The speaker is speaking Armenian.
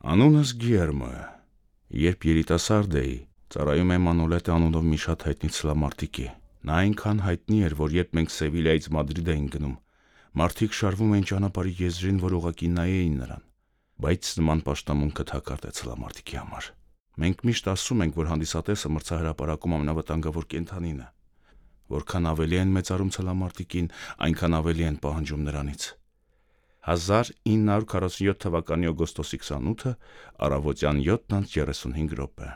Անունս Գիերմո է։ Երբ երիտասարդ էի, ծառայում եմ Մանոլետե անունով մի շատ հայտնի ցլամարտիկի։ Նա այնքան հայտնի էր, որ երբ մենք Սևիլիայից Մադրիդ էինք գնում, մարդիկ շարվում էին ճանապարհի եզրին, որ ուղղակի նայեին նրան։ Բայց նման պաշտամունքը թակարդ է ցլամարտիկի համար։ Մենք միշտ ասում ենք, որ հանդիսատեսը մրցահրապարակում ամենավտանգավոր կենդանին է։ Որքան ավելի են մեծարում ցլամարտիկին, այնքան ավելի են պահանջում նրանից։ 1947 թվականի օգոստոսի 28-ը, առավոտյան 7:35 րոպե։